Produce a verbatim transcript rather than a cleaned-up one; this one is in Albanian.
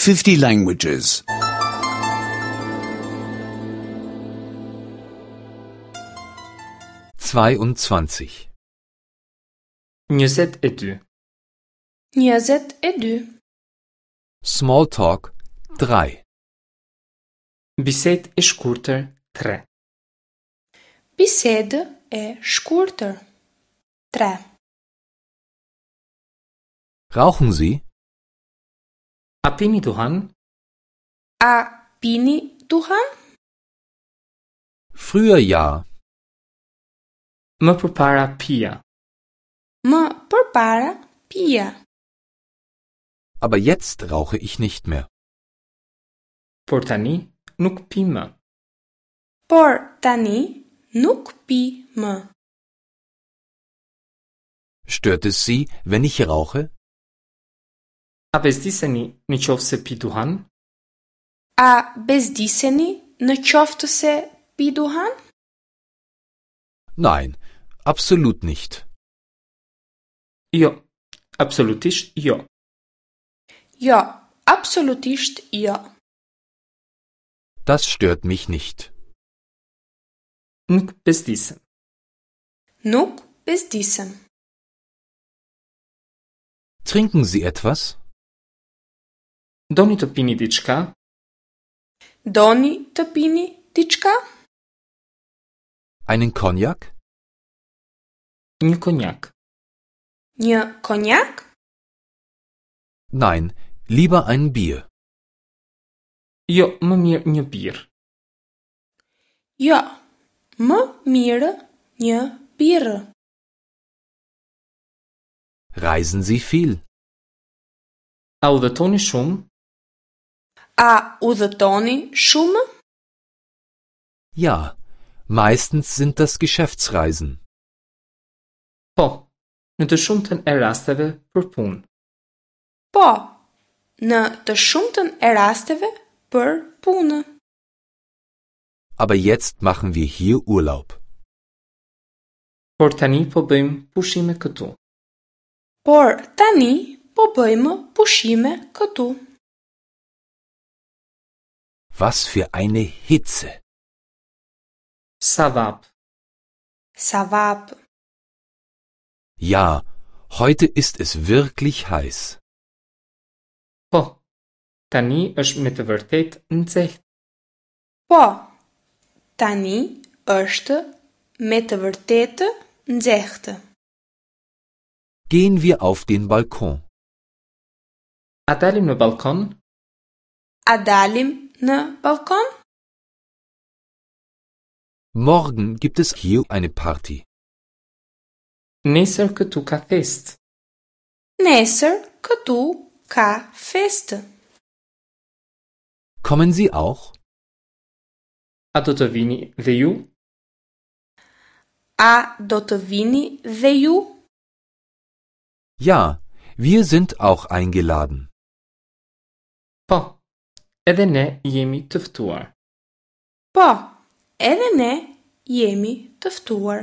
fifty languages. Zweiundzwanzig. Njëzet e dy. Njëzet e dy. Smalltalk drei. Bisedë e shkurtër tre. Bisedë e shkurtër. Tre. Rauchen Sie? A pini duhan? A pini duhan? Früher ja, Më përpara pija. Më përpara pija. aber jetzt rauche ich nicht mehr. Por tani nuk pi më. Por tani nuk pi më. Stört es Sie, wenn ich rauche? A bezdiseni në qoftë se pi duhan? A bezdiseni në qoftë se pi duhan? Nein, absolut nicht. Jo, absolutisht jo. Jo, absolutisht jo. Das stört mich nicht. Nuk bezdisem. Nuk bezdisem. Trinken Sie etwas? Doni të pini diçka? Doni të pini diçka? Einen Cognac? Një konjak. Një konjak? Nein, lieber ein Bier. Jo, më mirë një birrë. Jo, më mirë një birrë. Reisen Sie viel? A udhëtoni shumë? A udhëtoni shumë? Ja, meistens sind das Geschäftsreisen. Po, në të shumtën e rasteve për punë. Po, në të shumtën e rasteve për punë. Aber jetzt machen wir hier Urlaub. Por tani po bëjmë pushime këtu. Por tani po bëjmë pushime këtu. Was für eine Hitze! Sa vap, Sa vap. Ja, heute ist es wirklich heiß. Po, tani është me të vërtetë nxehtë. Po, tani është me të vërtetë nxehtë. Gehen wir auf den Balkon. A dalim në balkon? A dalim në balkon? Morgen gibt es hier eine Party. Nesër këtu ka festë. Nesër këtu ka festë. Kommen Sie auch? A do të vini dhe ju? A do të vini dhe ju? Ja, wir sind auch eingeladen. Po, edhe ne jemi të ftuar. Po, edhe ne jemi të ftuar.